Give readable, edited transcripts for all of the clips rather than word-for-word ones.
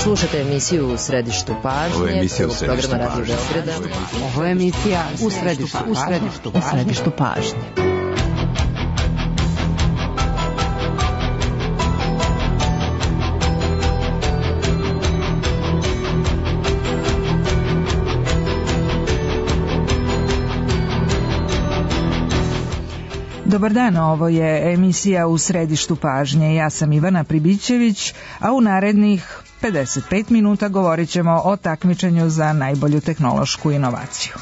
Slušajte emisiju U središtu pažnje. Ovo je emisija U središtu pažnje. Ovo je emisija U središtu pažnje. Dobar dan, ovo je emisija U središtu pažnje. Ja sam Ivana Pribićević, a u narednih 55 minuta govorit ćemo o takmičenju za najbolju tehnološku inovaciju.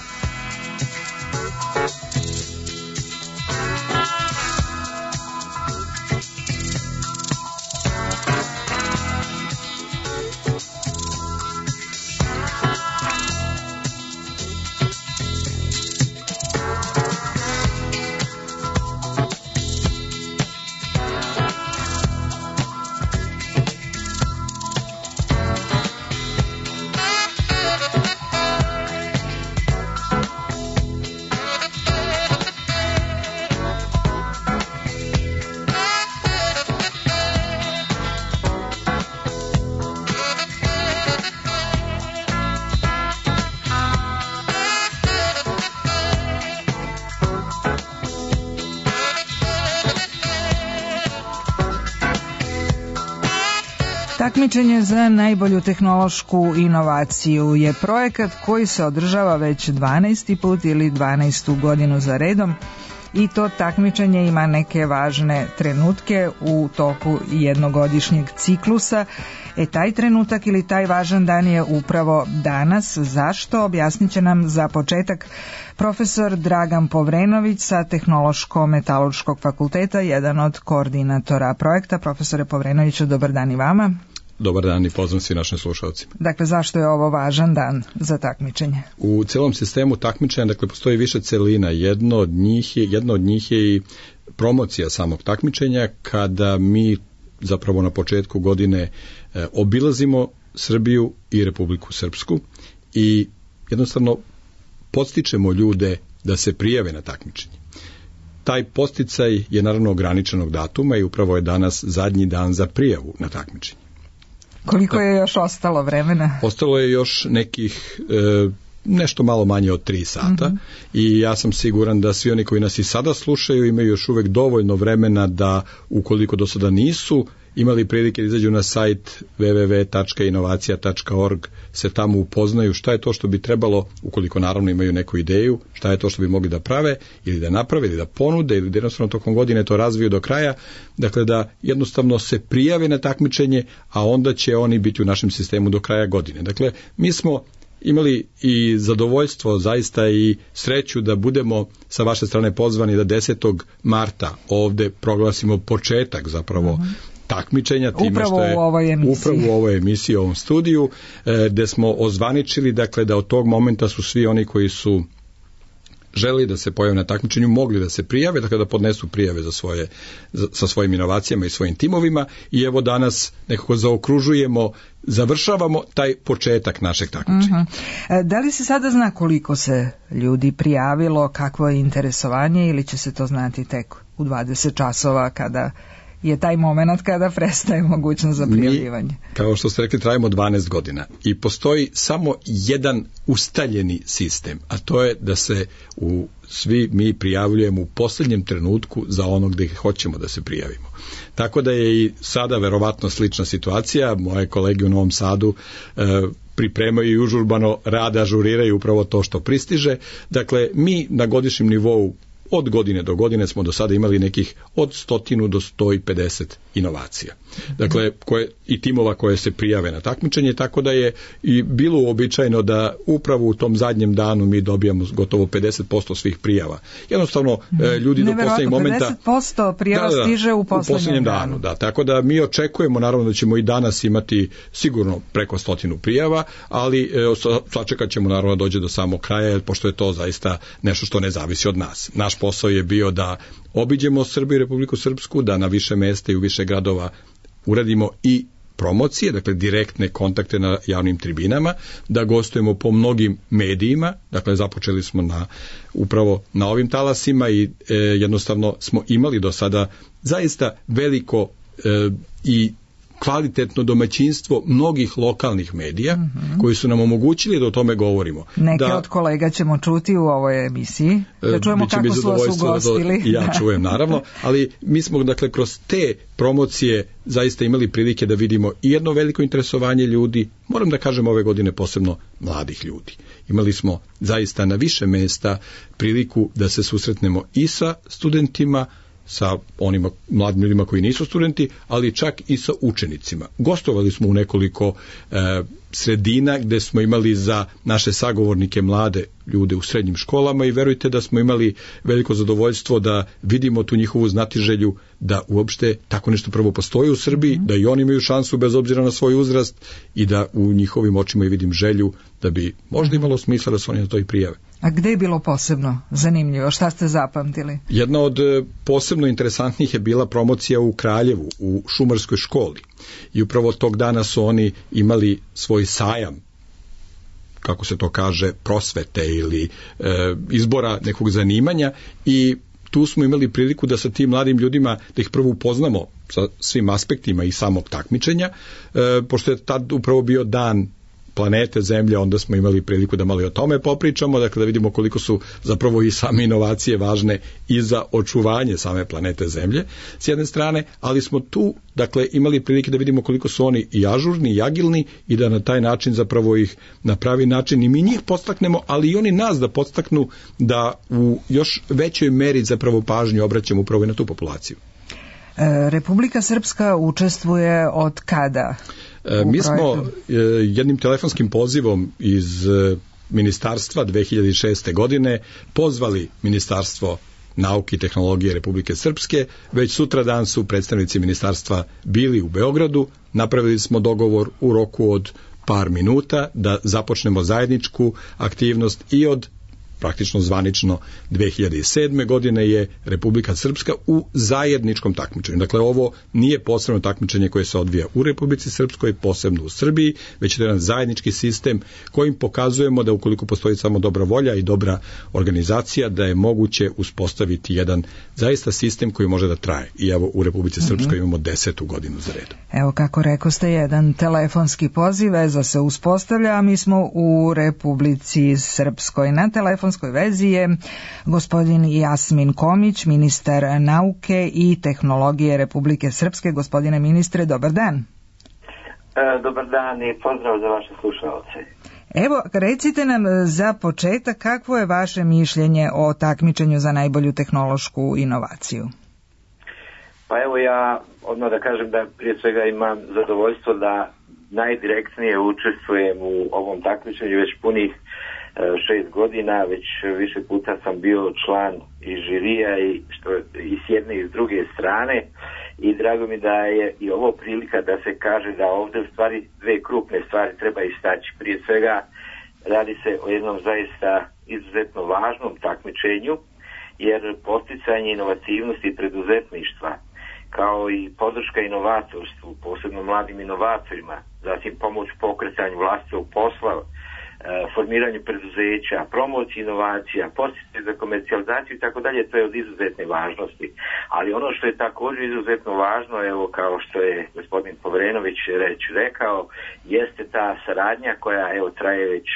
Takmičenje za najbolju tehnološku inovaciju je projekat koji se održava već 12. put ili 12. godinu za redom i to takmičenje ima neke važne trenutke u toku jednogodišnjeg ciklusa. Taj trenutak ili taj važan dan je upravo danas. Zašto? Objasnit će nam za početak profesor Dragan Povrenović sa Tehnološko-metalurškog fakulteta, jedan od koordinatora projekta. Profesore Povrenoviću, dobar dan i vama. Dobar dan i pozdrav svim našim slušalcima. Dakle, zašto je ovo važan dan za takmičenje? U celom sistemu takmičenja, dakle, postoji više celina. Jedna od njih je i promocija samog takmičenja, kada mi zapravo na početku godine obilazimo Srbiju i Republiku Srpsku i jednostavno podstičemo ljude da se prijave na takmičenje. Taj podsticaj je naravno ograničenog datuma i upravo je danas zadnji dan za prijavu na takmičenje. Koliko je još ostalo vremena? Ostalo je još nekih nešto malo manje od 3 sata i ja sam siguran da svi oni koji nas i sada slušaju imaju još uvek dovoljno vremena da, ukoliko do sada nisu imali prilike da izađu na sajt www.inovacija.org, se tamo upoznaju šta je to što bi trebalo, ukoliko naravno imaju neku ideju, šta je to što bi mogli da prave ili da naprave ili da ponude ili da jednostavno tokom godine to razviju do kraja, dakle da jednostavno se prijave na takmičenje, a onda će oni biti u našem sistemu do kraja godine. Dakle, mi smo imali i zadovoljstvo zaista i sreću da budemo sa vaše strane pozvani da 10. marta ovde proglasimo početak zapravo takmičenja, upravo u ovoj emisiji, u ovom studiju, gde smo ozvaničili, dakle, da od tog momenta su svi oni koji su želi da se pojave na takmičenju mogli da se prijave, dakle da podnesu prijave sa svojim inovacijama i svojim timovima i evo danas nekako završavamo taj početak našeg takmičenja. Da li se sada zna koliko se ljudi prijavilo, kakvo je interesovanje ili će se to znati tek u 20 časova kada je taj moment kada prestaje mogućnost za prijavljivanje? Mi, kao što ste rekli, trajimo 12 godina i postoji samo jedan ustaljeni sistem, a to je da se svi mi prijavljujemo u posljednjem trenutku za onog gde hoćemo da se prijavimo. Tako da je i sada verovatno slična situacija. Moje kolege u Novom Sadu pripremaju i užurbano rade, ažuriraju upravo to što pristiže. Dakle, mi na godišnjem nivou od godine do godine smo do sada imali nekih od 100 do 150 inovacija. Dakle, i timova koje se prijave na takmičenje, tako da je i bilo uobičajeno da upravo u tom zadnjem danu mi dobijamo gotovo 50% svih prijava. Jednostavno, ljudi do poslednjeg momenta... 50% prijava stiže u poslednjem danu. Da, tako da mi očekujemo naravno da ćemo i danas imati sigurno preko 100 prijava, ali sačekat ćemo naravno da dođe do samog kraja, pošto je to zaista nešto što ne zavisi od nas. Naš posao je bio da obiđemo Srbiju i Republiku Srpsku, da na više mesta i u više gradova uradimo i promocije, dakle direktne kontakte na javnim tribinama, da gostujemo po mnogim medijima, dakle započeli smo upravo na ovim talasima i jednostavno smo imali do sada zaista veliko i kvalitetno domaćinstvo mnogih lokalnih medija koji su nam omogućili da o tome govorimo. Neke od kolega ćemo čuti u ovoj emisiji. Da čujemo kako su vas ugostili. Ja čujem, naravno, ali mi smo dakle kroz te promocije zaista imali prilike da vidimo i jedno veliko interesovanje ljudi, moram da kažem ove godine posebno mladih ljudi. Imali smo zaista na više mesta priliku da se susretnemo i sa studentima, sa onima mladim ljudima koji nisu studenti, ali čak i sa učenicima. Gostovali smo u nekoliko sredina gde smo imali za naše sagovornike mlade ljude u srednjim školama i verujte da smo imali veliko zadovoljstvo da vidimo tu njihovu znatiželju da uopšte tako nešto prvo postoji u Srbiji, da i oni imaju šansu bez obzira na svoj uzrast i da u njihovim očima i vidim želju da bi možda imalo smisla da se oni na to i prijave. A gde je bilo posebno zanimljivo? Šta ste zapamtili? Jedna od posebno interesantnih je bila promocija u Kraljevu, u šumarskoj školi. I upravo tog dana su oni imali svoj sajam, kako se to kaže, prosvete ili izbora nekog zanimanja i tu smo imali priliku da sa tim mladim ljudima, da ih prvo upoznamo sa svim aspektima i samog takmičenja, pošto je tad upravo bio dan planete Zemlje, onda smo imali priliku da malo i o tome popričamo, dakle da vidimo koliko su zapravo i same inovacije važne i za očuvanje same planete Zemlje s jedne strane, ali smo tu dakle imali prilike da vidimo koliko su oni i ažurni i agilni i da na taj način zapravo ih na pravi način i mi njih podstaknemo, ali i oni nas da podstaknu da u još većoj meri zapravo pažnju obraćamo upravo i na tu populaciju. Republika Srpska učestvuje od kada? Mi smo jednim telefonskim pozivom iz ministarstva 2006. godine pozvali Ministarstvo nauke i tehnologije Republike Srpske. Već sutradan su predstavnici ministarstva bili u Beogradu. Napravili smo dogovor u roku od par minuta da započnemo zajedničku aktivnost i od praktično zvanično 2007. godine je Republika Srpska u zajedničkom takmičenju. Dakle, ovo nije posebno takmičenje koje se odvija u Republici Srpskoj, posebno u Srbiji, već je jedan zajednički sistem kojim pokazujemo da ukoliko postoji samo dobra volja i dobra organizacija, da je moguće uspostaviti jedan zaista sistem koji može da traje. I evo u Republici Srpskoj imamo 10. godinu za redom. Evo kako rekoste, jedan telefonski poziv, veza se uspostavlja, a mi smo u Republici Srpskoj. Na telefonskoj vezi je gospodin Jasmin Komić, ministar nauke i tehnologije Republike Srpske. Gospodine ministre, dobar dan. Dobar dan i pozdrav za vaše slušalce. Evo, recite nam za početak kakvo je vaše mišljenje o takmičenju za najbolju tehnološku inovaciju? Pa evo ja odmah da kažem da prije svega imam zadovoljstvo da najdirektnije učestvujem u ovom takmičenju već punih 6 godina, već više puta sam bio član i žirija i s jedne i s druge strane i drago mi da je i ovo prilika da se kaže da ovdje u stvari dve krupne stvari treba istaći. Prije svega radi se o jednom zaista izuzetno važnom takmičenju jer posticanje inovativnosti i preduzetništva kao i podrška inovatorstvu, posebno mladim inovatorima, zatim pomoć pokretanju vlastitog posla, formiranju preduzeća, promociji inovacija, podsticaj za komercijalizaciju i tako dalje, to je od izuzetne važnosti. Ali ono što je također izuzetno važno, evo kao što je gospodin Povrenović rekao, jeste ta saradnja koja evo traje već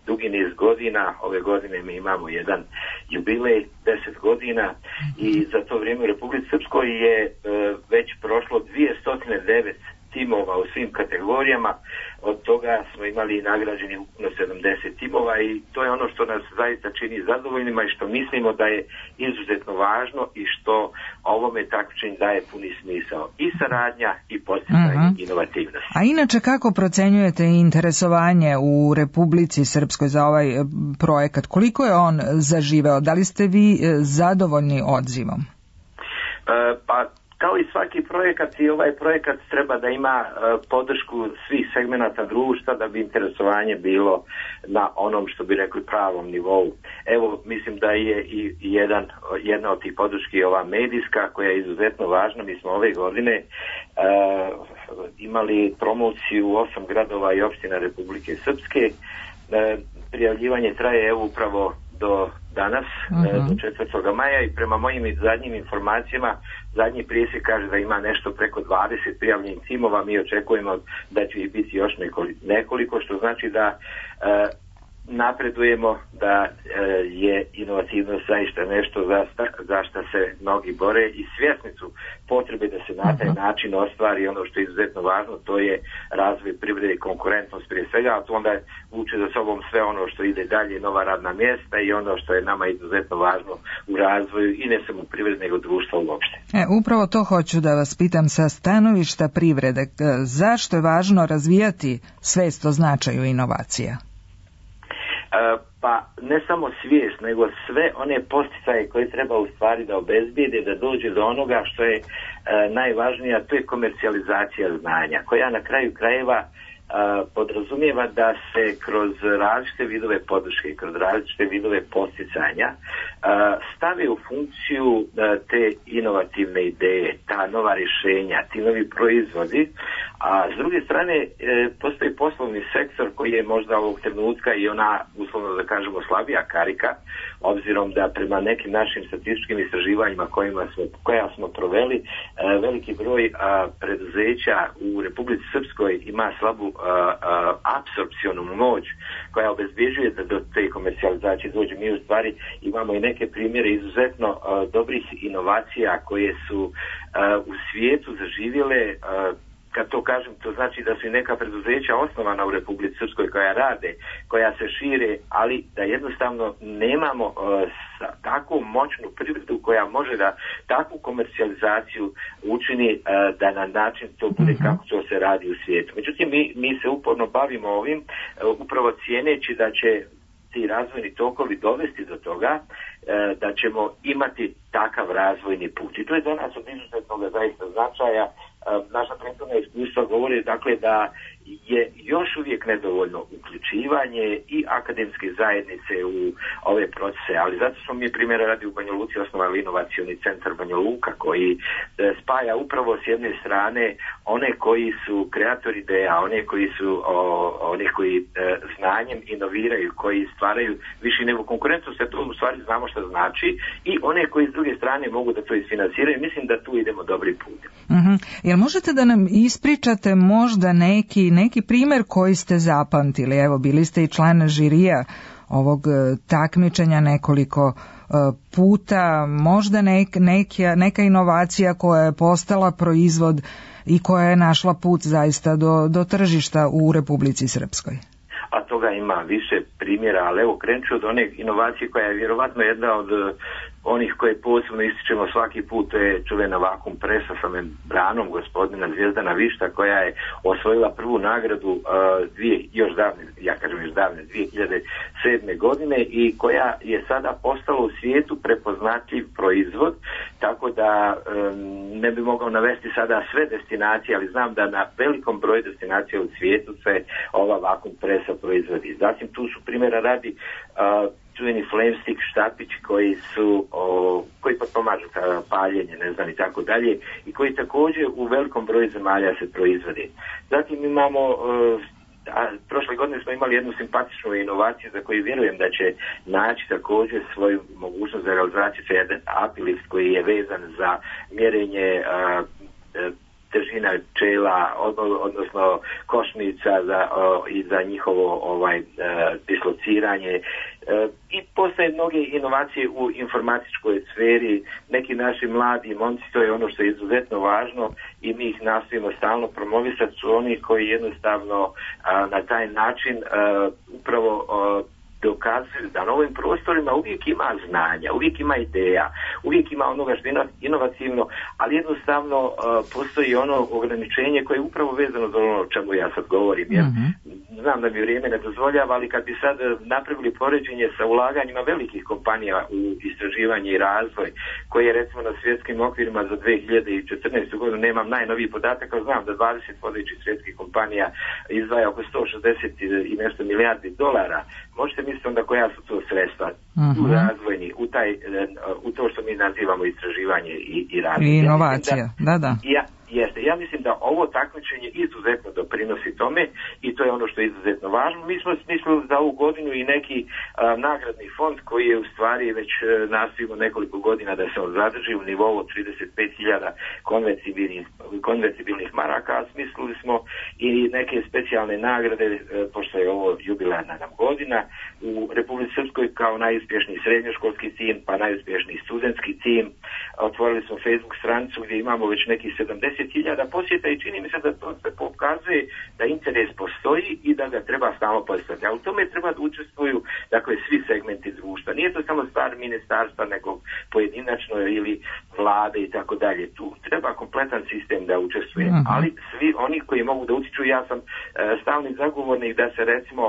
dugi niz godina. Ove godine mi imamo jedan jubilej, 10 godina i za to vrijeme u Republici Srpskoj je već prošlo 209 timova u svim kategorijama, od toga smo imali nagrađeni ukupno 70 timova i to je ono što nas zaista čini zadovoljnima i što mislimo da je izuzetno važno i što ovome takmičenju daje puni smisao i saradnja i posticanje inovativnosti. A inače kako procenjujete interesovanje u Republici Srpskoj za ovaj projekat? Koliko je on zaživeo? Da li ste vi zadovoljni odzivom? Pa kao i svaki projekat i ovaj projekat treba da ima podršku svih segmenata društva da bi interesovanje bilo na onom što bi rekli pravom nivou. Evo mislim da je i jedna od tih podrški ova medijska koja je izuzetno važna. Mi smo ove godine imali promociju u 8 gradova i opština Republike Srpske. Prijavljivanje traje evo upravo do danas, do 4. maja i prema mojim zadnjim informacijama, zadnji presjek kaže da ima nešto preko 20 prijavljenih timova, mi očekujemo da će ih biti još nekoliko, što znači da napredujemo, da je inovativnost zaista nešto za što se mnogi bore i svjesni su potrebe da se na taj način ostvari ono što je izuzetno važno, to je razvoj privrede i konkurentnost prije svega, a to onda vuče za sobom sve ono što ide dalje, nova radna mjesta i ono što je nama izuzetno važno u razvoju i ne samo privrede nego društva uopšte. Upravo to hoću da vas pitam sa stanovišta privrede. Zašto je važno razvijati svijest o značaju inovacija? Pa ne samo svijest, nego sve one posticaje koje treba u stvari da obezbijede, da dođe do onoga što je najvažnije, a to je komercijalizacija znanja, koja na kraju krajeva podrazumijeva da se kroz različite vidove podrške, kroz različite vidove posticanja stave u funkciju te inovativne ideje, ta nova rješenja, ti novi proizvodi, a s druge strane postoji poslovni sektor koji je možda ovog trenutka i ona, uslovno da kažemo, slabija karika, obzirom da prema nekim našim statističkim istraživanjima koja smo proveli, veliki broj preduzeća u Republici Srpskoj ima slabu apsorpcionu moć koja obezbjeđuje da do te komercijalizacije dođe. Mi u stvari imamo i neke primjere izuzetno dobrih inovacija koje su u svijetu zaživjele. Kad to kažem, to znači da su i neka preduzeća osnovana u Republici Srpskoj koja rade, koja se šire, ali da jednostavno nemamo takvu moćnu privredu koja može da takvu komercijalizaciju učini da na način to bude kako to se radi u svijetu. Međutim, mi se uporno bavimo ovim, upravo cijeneći da će ti razvojni tokovi dovesti do toga da ćemo imati takav razvojni put. I to je za nas od izuzetnog zaista značaja. Naša prethodna iskustva govori dakle da je još uvijek nedovoljno uključivanje i akademske zajednice u ove procese, ali zato smo mi primjera radi u Banja Luci osnovali inovacioni centar Banja Luka koji spaja upravo s jedne strane one koji su kreatori ideja, one koji znanjem inoviraju, koji stvaraju više nego konkurentnost, a to u stvari znamo što znači, i one koji s druge strane mogu da to isfinansiraju. Mislim da tu idemo dobri put. Jel možete da nam ispričate možda neki primjer koji ste zapamtili? Evo, bili ste i član žirija ovog takmičenja nekoliko puta, možda neka inovacija koja je postala proizvod i koja je našla put zaista do tržišta u Republici Srpskoj. A toga ima više primjera, ali evo krenut ću od one inovacije koja je vjerovatno jedna od onih koje posebno ističemo svaki put, to je čuvena vakum presa sa membranom gospodina Zvijezdana Višta, koja je osvojila prvu nagradu još davne 2007. godine i koja je sada postala u svijetu prepoznatljiv proizvod, tako da ne bi mogao navesti sada sve destinacije, ali znam da na velikom broju destinacija u svijetu se ova vakum presa proizvodi. Zatim tu su primjera radi čuveni flamestick štapići koji potpomažu paljenje, ne znam, i tako dalje, i koji također u velikom broju zemalja se proizvodi. Zatim imamo prošle godine smo imali jednu simpatičnu inovaciju za koju vjerujem da će naći također svoju mogućnost za realizaciju, to je jedan apilift koji je vezan za mjerenje težina pčela, odnosno košnica i za njihovo dislociranje. I postoje mnoge inovacije u informatičkoj sferi, neki naši mladi momci, to je ono što je izuzetno važno i mi ih nastojimo stalno promovisati, su oni koji jednostavno na taj način upravo dokazuju da na ovim prostorima uvijek ima znanja, uvijek ima ideja, uvijek ima onoga što je inovativno, ali jednostavno postoji ono ograničenje koje je upravo vezano za ono o čemu ja sad govorim. Jer znam da mi vrijeme ne dozvoljava, ali kad bi sad napravili poređenje sa ulaganjima velikih kompanija u istraživanje i razvoj, koje je recimo na svjetskim okvirima za 2014. godinu, nemam najnoviji podatak, ali znam da 20 vodećih svjetskih kompanija izdvaja oko 160 i nešto milijardi dolara. Možete misliti onda koja su to sredstva u razvojni, u to što mi nazivamo istraživanje i razvoj. I inovacija, da. Jeste, ja mislim da ovo takmičenje izuzetno doprinosi tome i to je ono što je izuzetno važno. Mi smo smislili za ovu godinu i neki nagradni fond koji je u stvari već nastojimo nekoliko godina da se on zadrži u nivou od 35.000 konvertibilnih maraka, a smislili smo i neke specijalne nagrade, pošto je ovo jubilarna nam godina, u Republici Srpskoj kao najuspješniji srednjoškolski tim, pa najuspješniji studentski tim. Otvorili smo Facebook stranicu gdje imamo već nekih 70.000 posjeta i čini mi se da to se pokazuje da interes postoji i da ga treba stalno postaviti. A u tome treba da učestvuju dakle svi segmenti društva. Nije to samo stvar ministarstva, nego pojedinačno ili vlade i tako dalje. Tu treba kompletan sistem da učestvuje. Ali svi oni koji mogu da utiču, ja sam stalni zagovornik da se recimo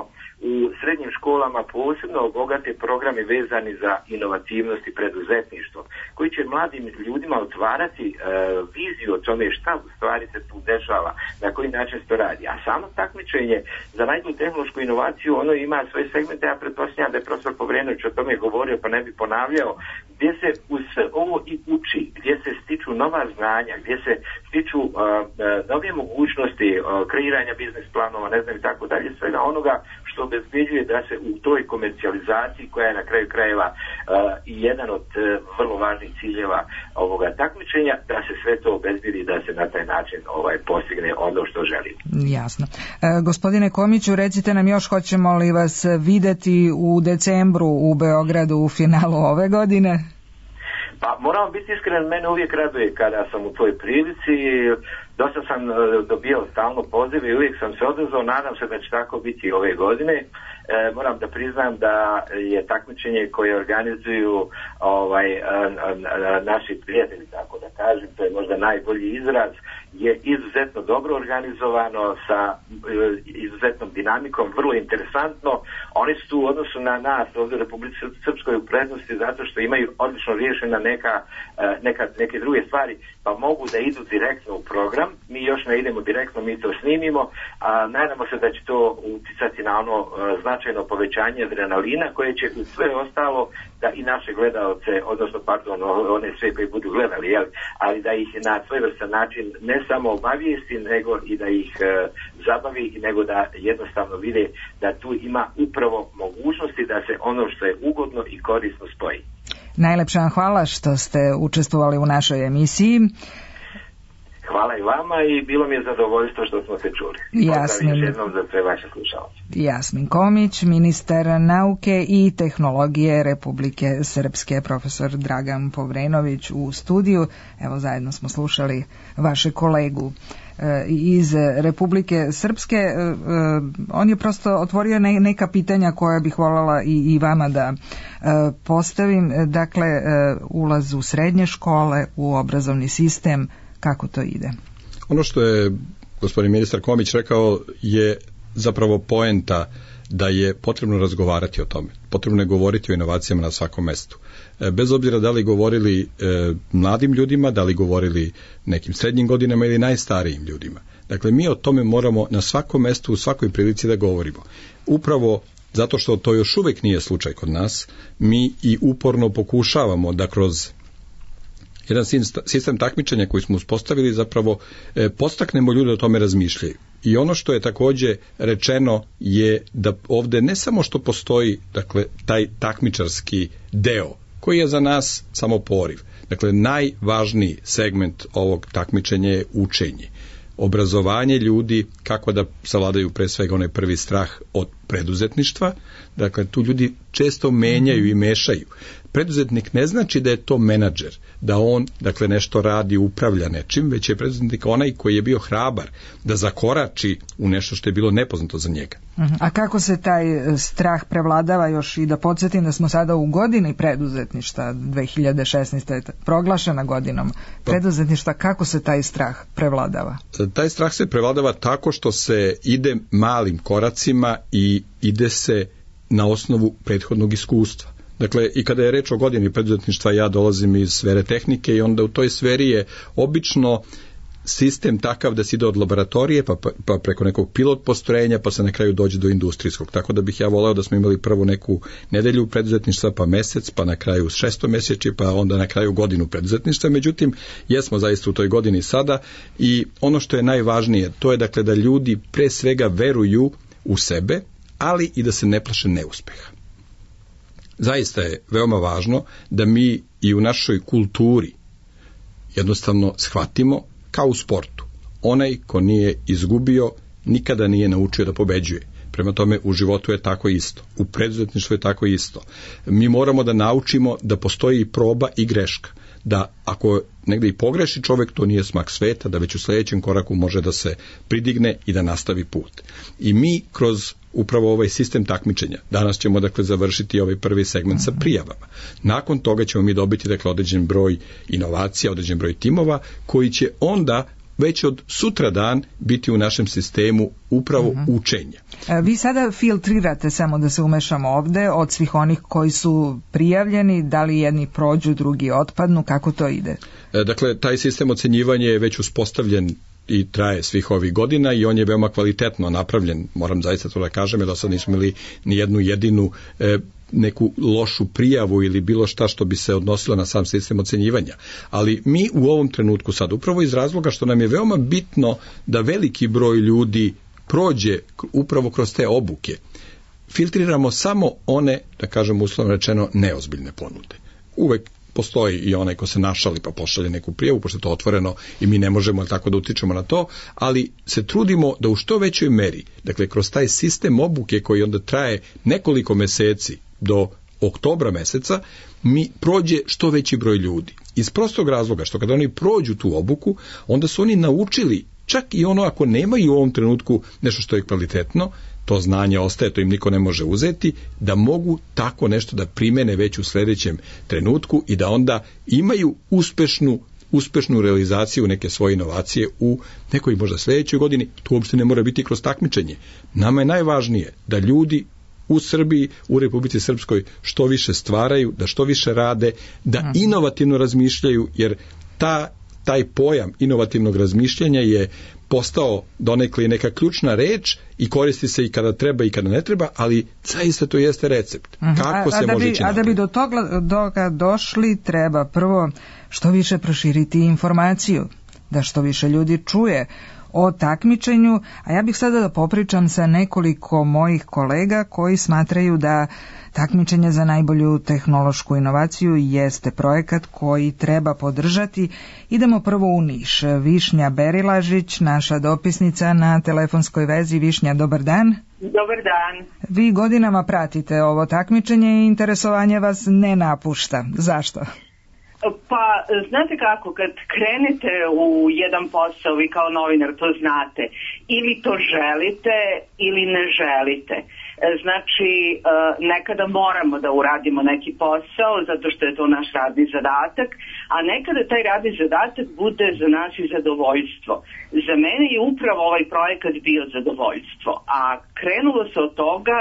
u srednjim školama posebno obogate programe vezani za inovativnost i preduzetništvo, koji će mladim ljudima otvarati viziju o tome šta u stvari se tu dešava, na koji način se to radi. A samo takmičenje za najbolju tehnološku inovaciju, ono ima svoje segmente, ja pretpostavljam da je profesor Povrenović o tome govorio, pa ne bi ponavljao, gdje se uz sve ovo i uči, gdje se stiču nova znanja, gdje se stiču nove mogućnosti kreiranja biznis planova, ne znam i tako dalje, svega onoga što obezbeđuje da se u toj komercijalizaciji, koja je na kraju krajeva jedan od vrlo važnih ciljeva ovoga takmičenja, da se sve to obezbedi, da se na taj način postigne ono što želimo. Jasno. Gospodine Komiću, recite nam još, hoćemo li vas videti u decembru u Beogradu u finalu ove godine? Pa moramo biti iskren, mene uvijek raduje kada sam u toj prilici. Dosta sam dobio stalno pozive i uvijek sam se odazvao, nadam se da će tako biti ove godine. Moram da priznam da je takmičenje koje organizuju naši prijatelji, tako da kažem, to je možda najbolji izraz, je izuzetno dobro organizovano sa izuzetnom dinamikom, vrlo interesantno. Oni su tu u odnosu na nas ovdje u Republici Srpskoj u prednosti zato što imaju odlično riješena neke druge stvari, pa mogu da idu direktno u program. Mi još ne idemo direktno, mi to snimimo, a nadamo se da će to uticati na ono značajno povećanje adrenalina koje će u sve ostalo da i naše gledalce, odnosno one sve koji budu gledali, ali da ih na svojevrstan način ne samo obavijesti, nego i da ih zabavi, nego da jednostavno vide da tu ima upravo mogućnosti da se ono što je ugodno i korisno spoji. Najlepša vam hvala što ste učestvovali u našoj emisiji. Hvala i vama i bilo mi je zadovoljstvo što smo se čuli. Pozdrav još jednom za sve vaše slušalce. Jasmin Komić, ministar nauke i tehnologije Republike Srpske, profesor Dragan Povrenović u studiju. Evo, zajedno smo slušali vaše kolegu iz Republike Srpske. On je prosto otvorio neka pitanja koja bih voljela i vama da postavim. Dakle, ulaz u srednje škole, u obrazovni sistem, kako to ide? Ono što je gospodin ministar Komić rekao je zapravo poenta da je potrebno razgovarati o tome. Potrebno je govoriti o inovacijama na svakom mestu. Bez obzira da li govorili mladim ljudima, da li govorili nekim srednjim godinama ili najstarijim ljudima. Dakle, mi o tome moramo na svakom mestu, u svakoj prilici da govorimo. Upravo zato što to još uvijek nije slučaj kod nas, mi i uporno pokušavamo da kroz jedan sistem takmičenja koji smo uspostavili zapravo podstaknemo ljude da o tome razmišljaju. I ono što je također rečeno je da ovdje ne samo što postoji dakle taj takmičarski deo koji je za nas samo poriv. Dakle, najvažniji segment ovog takmičenja je učenje. Obrazovanje ljudi kako da savladaju pre svega onaj prvi strah od preduzetništva. Dakle, tu ljudi često menjaju i mešaju. Preduzetnik ne znači da je to menadžer, da on dakle nešto radi, upravlja nečim, već je preduzetnik onaj koji je bio hrabar da zakorači u nešto što je bilo nepoznato za njega. A kako se taj strah prevladava, još i da podsjetim da smo sada u godini preduzetništva, 2016. je proglašena godinom preduzetništva, kako se taj strah prevladava? Taj strah se prevladava tako što se ide malim koracima i ide se na osnovu prethodnog iskustva. Dakle, i kada je reč o godini preduzetništva, ja dolazim iz sfere tehnike i onda u toj sferi je obično sistem takav da se ide od laboratorije pa preko nekog pilot postrojenja pa se na kraju dođe do industrijskog. Tako da bih ja voleo da smo imali prvo neku nedelju preduzetništva pa mesec, pa na kraju 6 mjeseči, pa onda na kraju godinu preduzetništva. Međutim, jesmo zaista u toj godini sada i ono što je najvažnije, to je dakle da ljudi pre svega veruju u sebe, ali i da se ne plaše neuspeha. Zaista je veoma važno da mi i u našoj kulturi jednostavno shvatimo kao u sportu. Onaj ko nije izgubio, nikada nije naučio da pobeđuje. Prema tome, u životu je tako isto. U preduzetništvu je tako isto. Mi moramo da naučimo da postoji proba i greška. Da ako negdje i pogreši čovjek, to nije smak sveta, da već u sljedećem koraku može da se pridigne i da nastavi put. I mi kroz upravo ovaj sistem takmičenja, danas ćemo dakle završiti ovaj prvi segment sa prijavama. Nakon toga ćemo mi dobiti dakle određen broj inovacija, određen broj timova koji će onda već od sutradan biti u našem sistemu upravo učenja. Vi sada filtrirate, samo da se umešamo ovde, od svih onih koji su prijavljeni, da li jedni prođu, drugi otpadnu, kako to ide? Dakle, taj sistem ocenjivanja je već uspostavljen i traje svih ovih godina i on je veoma kvalitetno napravljen, moram zaista to da kažem, jer da sad nismo imali ni jednu jedinu neku lošu prijavu ili bilo šta što bi se odnosilo na sam sistem ocenjivanja. Ali mi u ovom trenutku sad, upravo iz razloga što nam je veoma bitno da veliki broj ljudi prođe upravo kroz te obuke, filtriramo samo one, da kažem uslovno rečeno, neozbiljne ponude. Uvek postoji i onaj ko se našali pa pošalje neku prijavu, pošto je to otvoreno i mi ne možemo tako da utičemo na to, ali se trudimo da u što većoj meri, dakle kroz taj sistem obuke koji onda traje nekoliko meseci do oktobra meseca, mi prođe što veći broj ljudi. Iz prostog razloga što kada oni prođu tu obuku, onda su oni naučili, čak i ono ako nemaju u ovom trenutku nešto što je kvalitetno, to znanje ostaje, to im niko ne može uzeti, da mogu tako nešto da primene već u sljedećem trenutku i da onda imaju uspešnu realizaciju neke svoje inovacije u nekoj možda sljedećoj godini. To uopšte ne mora biti kroz takmičenje. Nama je najvažnije da ljudi u Srbiji, u Republici Srpskoj što više stvaraju, da što više rade, da inovativno razmišljaju, jer taj pojam inovativnog razmišljanja je postao donekle neka ključna reč i koristi se i kada treba i kada ne treba, ali zaista to jeste recept. Kako se može ići napred? A da bi do toga došli, treba prvo što više proširiti informaciju, da što više ljudi čuje o takmičenju, a ja bih sada da popričam sa nekoliko mojih kolega koji smatraju da takmičenje za najbolju tehnološku inovaciju jeste projekat koji treba podržati. Idemo prvo u Niš. Višnja Berilažić, naša dopisnica na telefonskoj vezi. Višnja, dobar dan. Dobar dan. Vi godinama pratite ovo takmičenje i interesovanje vas ne napušta. Zašto? Pa, znate kako, kad krenete u jedan posao, vi kao novinar to znate, ili to želite ili ne želite. Znači, nekada moramo da uradimo neki posao, zato što je to naš radni zadatak, a nekada taj radni zadatak bude za nas i zadovoljstvo. Za mene je upravo ovaj projekat bio zadovoljstvo, a krenulo se od toga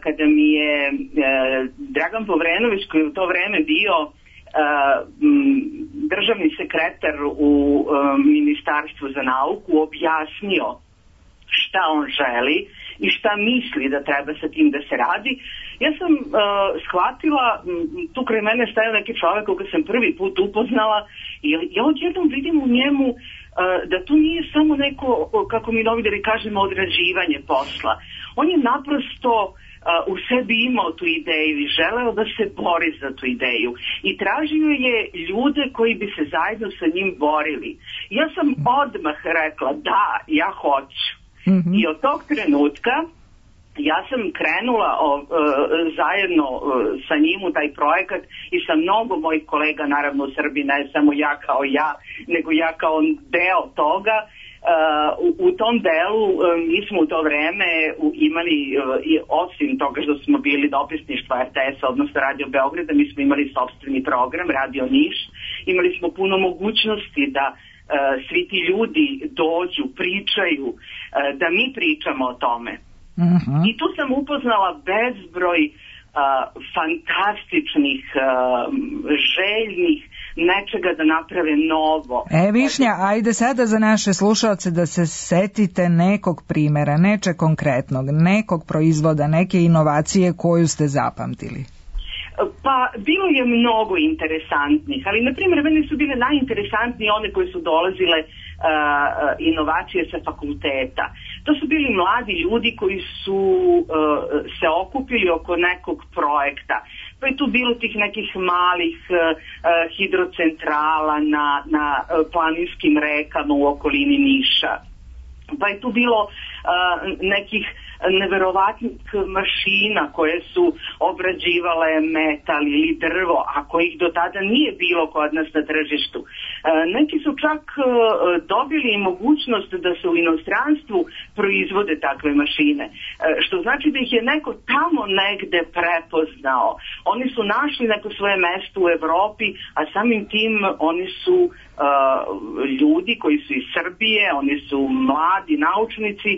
kada mi je Dragan Povrenović, koji je u to vreme bio državni sekretar u Ministarstvu za nauku, objasnio šta on želi i šta misli da treba sa tim da se radi. Ja sam shvatila, tu kraj mene stajao neki čovjek koga sam prvi put upoznala i ja odjednom vidim u njemu da to nije samo neko, kako mi novinari kažemo, odrađivanje posla. On je naprosto u sebi imao tu ideju i želeo da se bori za tu ideju i tražio je ljude koji bi se zajedno sa njim borili. Ja sam odmah rekla da, ja hoću. I od tog trenutka ja sam krenula zajedno sa njim u taj projekat i sa mnogo mojih kolega, naravno u Srbiji, ne samo ja kao ja, nego ja kao deo toga. U tom delu mi smo u to vreme imali, osim toga što smo bili dopisništva RTS-a, odnosno Radio Beograda, mi smo imali sopstveni program, Radio Niš. Imali smo puno mogućnosti da svi ti ljudi dođu, pričaju, da mi pričamo o tome. I tu sam upoznala bezbroj fantastičnih, željnih nečega da naprave novo. Višnja, ajde sada za naše slušalce da se setite nekog primjera, neče konkretnog, nekog proizvoda, neke inovacije koju ste zapamtili. Pa bilo je mnogo interesantnih, ali na primjer meni su bile najinteresantnije one koje su dolazile inovacije sa fakulteta. To su bili mladi ljudi koji su se okupili oko nekog projekta. Pa je tu bilo tih nekih malih hidrocentrala na planinskim rekama u okolini Niša. Pa je tu bilo nekih neverovatnih mašina koje su obrađivale metal ili drvo, a kojih do tada nije bilo kod nas na tržištu. Neki su čak dobili i mogućnost da se u inostranstvu proizvode takve mašine, što znači da ih je neko tamo negde prepoznao. Oni su našli neko svoje mesto u Evropi, a samim tim oni su ljudi koji su iz Srbije, oni su mladi naučnici,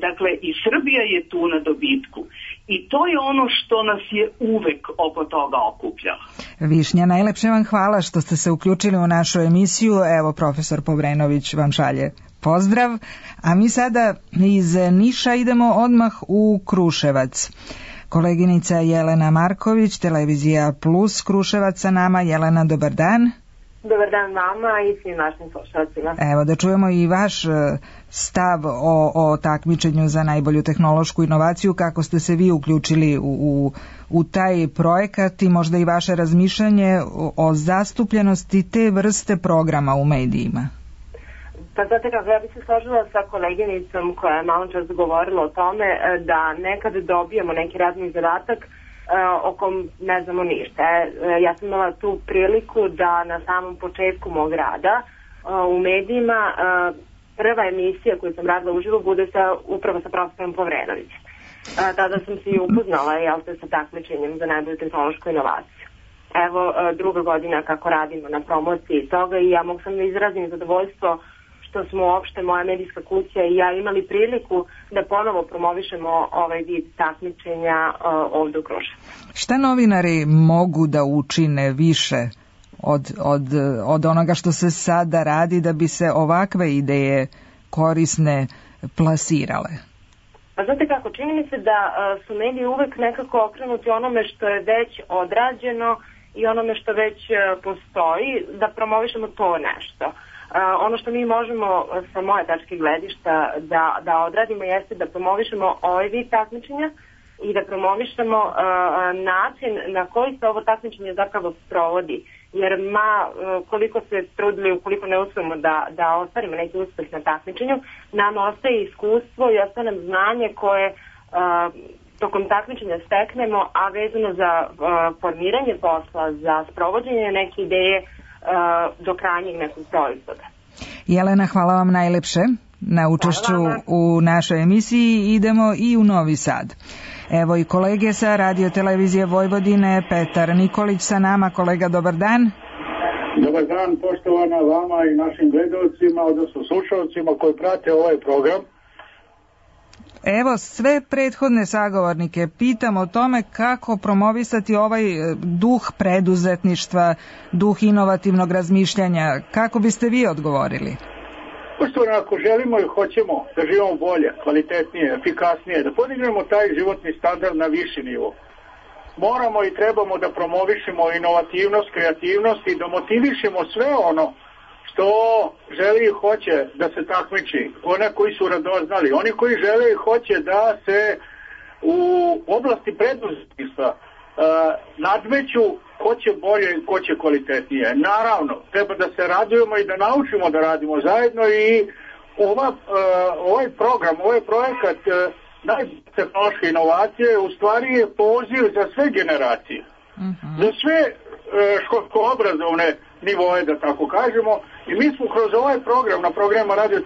dakle i Srbija je tu na dobitku. I to je ono što nas je uvek oko toga okupljalo. Višnja, najlepše vam hvala što ste se uključili u našu emisiju. Evo, profesor Povrenović vam šalje pozdrav. A mi sada iz Niša idemo odmah u Kruševac. Koleginica Jelena Marković, Televizija Plus Kruševac sa nama. Jelena, dobar dan. Dobar dan vama i svim našim slušalcima. Evo da čujemo i vaš stav o takmičenju za najbolju tehnološku inovaciju, kako ste se vi uključili u taj projekat i možda i vaše razmišljanje o zastupljenosti te vrste programa u medijima. Pa znate kako, ja bih se složila sa koleginicom koja je malo čas govorila o tome da nekad dobijemo neki radni zadatak o kom ne znamo ništa. Ja sam imala tu priliku da na samom početku mog rada u medijima prva emisija koju sam radila uživo bude upravo sa profesorom Povrenović. Tada sam se i upoznala sa takmičenjem za najbolju tehnološku inovaciju. Evo druga godina kako radimo na promociji toga i ja mogu sam da izrazim zadovoljstvo što smo uopšte, moja medijska kuća i ja imali priliku da ponovo promovišemo ovaj vid takmičenja ovdje u Kruševcu. Šta novinari mogu da učine više od onoga što se sada radi da bi se ovakve ideje korisne plasirale? Pa znate kako, čini mi se da su mediji uvek nekako okrenuti onome što je već odrađeno i onome što već postoji, da promovišemo to nešto. Ono što mi možemo sa moje tačke gledišta da odradimo jeste da promovišemo ovaj vid takmičenja i da promovišemo način na koji se ovo takmičenje zapravo sprovodi. Jer koliko se trudili, ukoliko ne uspemo da ostvarimo neki uspeh na takmičenju, nam ostaje iskustvo i ostaje nam znanje koje tokom takmičenja steknemo, a vezano za formiranje posla, za sprovođenje neke ideje do krajnjeg nekog proizvoda. Jelena, hvala vam najlepše na učešću u našoj emisiji. Idemo i u Novi Sad. Evo i kolege sa Radio Televizije Vojvodine, Petar Nikolić sa nama. Kolega, dobar dan. Dobar dan, poštovana vama i našim gledalcima, odnosno slušalcima koji prate ovaj program. Evo, sve prethodne sagovornike pitam o tome kako promovisati ovaj duh preduzetništva, duh inovativnog razmišljanja. Kako biste vi odgovorili? Poštovano, ako želimo i hoćemo da živimo bolje, kvalitetnije, efikasnije, da podignemo taj životni standard na viši nivo, moramo i trebamo da promovišemo inovativnost, kreativnost i da motivišemo sve ono što želi i hoće da se takmiči, one koji su radoznali, oni koji žele i hoće da se u oblasti preduzetništva nadmeću ko će bolje i ko će kvalitetnije. Naravno, treba da se radujemo i da naučimo da radimo zajedno i ovaj program, ovaj projekat najbolje tehnološke inovacije u stvari je poziv za sve generacije, za sve školsko-obrazovne nivoje, da tako kažemo, i mi smo kroz ovaj program na programima Radio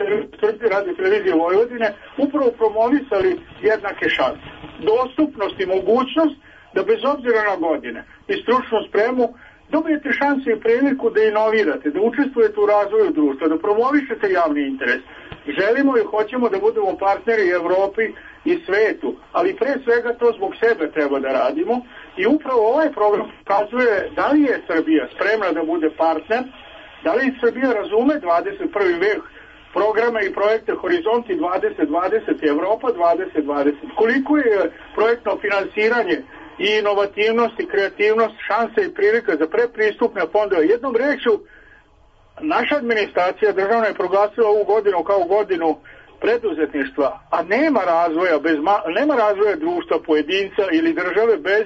Televizije Vojvodine upravo promovisali jednake šanse, dostupnost i mogućnost da bez obzira na godine i stručnu spremu dobijete šanse i priliku da inovirate, da učestvujete u razvoju društva, da promovišete javni interes. Želimo i hoćemo da budemo partneri Evropi i svetu, ali pre svega to zbog sebe treba da radimo i upravo ovaj program pokazuje da li je Srbija spremna da bude partner, da li Srbija razume 21. vek, programe i projekte Horizonti 2020 i Evropa 2020. Koliko je projektno finansiranje i inovativnost i kreativnost, šanse i prilika za predpristupne fondove. Jednom rečju, naša administracija državna je proglasila ovu godinu kao godinu preduzetništva, a nema razvoja društva, pojedinca ili države bez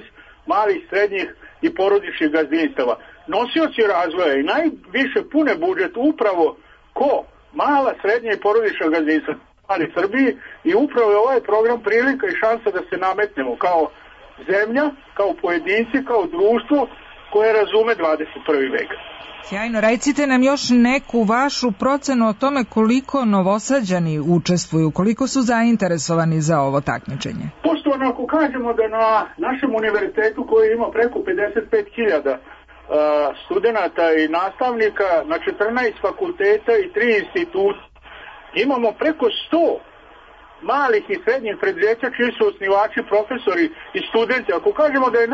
malih, srednjih i porodičnih gazdinstava. Nosioci razvoja i najviše pune budžet upravo ko? Mala, srednja i porodična gazdinstva ali Srbiji i upravo je ovaj program prilika i šansa da se nametnemo kao zemlja, kao pojedinci, kao društvo koje razume 21. vek. Sjajno, recite nam još neku vašu procenu o tome koliko Novosađani učestvuju, koliko su zainteresovani za ovo takmičenje. Poštovano, ako kažemo da na našem univerzitetu koji ima preko 55.000 studenata i nastavnika na 14 fakulteta i 3 instituta, imamo preko 100 malih i srednjih preduzeća čiji su osnivači, profesori i studenti. Ako kažemo da je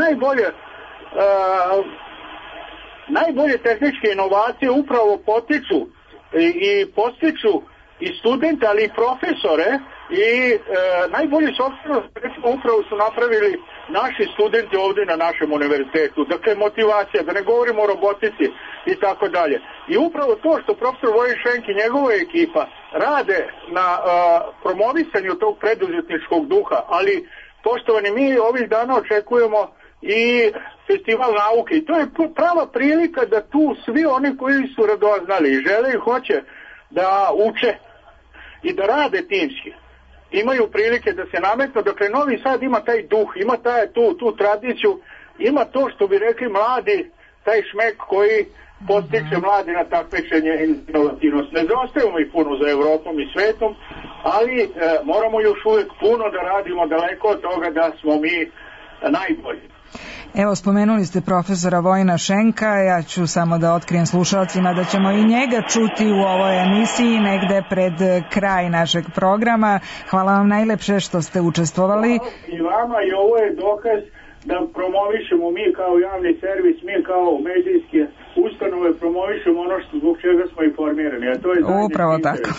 najbolje tehničke inovacije upravo potiču i postiču i studente, ali i profesore i najbolji software upravo su napravili naši studenti ovdje na našem univerzitetu. Dakle, motivacija, da ne govorimo o robotici i tako dalje. I upravo to što profesor Vojin Šenk i njegova ekipa rade na promovisanju tog preduzetničkog duha, ali poštovani, mi ovih dana očekujemo i festival nauke i to je prava prilika da tu svi oni koji su radoznali i žele i hoće da uče i da rade timski imaju prilike da se nametnu. Dakle, Novi Sad ima taj duh, ima tu tradiciju, ima to što bi rekli mladi, taj šmek koji postiče mladi na takmičenje i inovativnost. Ne zaostajemo i puno za Evropom i svetom, ali moramo još uvijek puno da radimo daleko od toga da smo mi najbolji. Evo, spomenuli ste profesora Vojina Šenka, ja ću samo da otkrijem slušalcima da ćemo i njega čuti u ovoj emisiji negde pred kraj našeg programa. Hvala vam najlepše što ste učestvovali. I vama, i ovo je dokaz da promovišemo mi kao javni servis, mi kao medijske ustanove promovišemo ono što zbog čega smo i formirani. A to je upravo tako.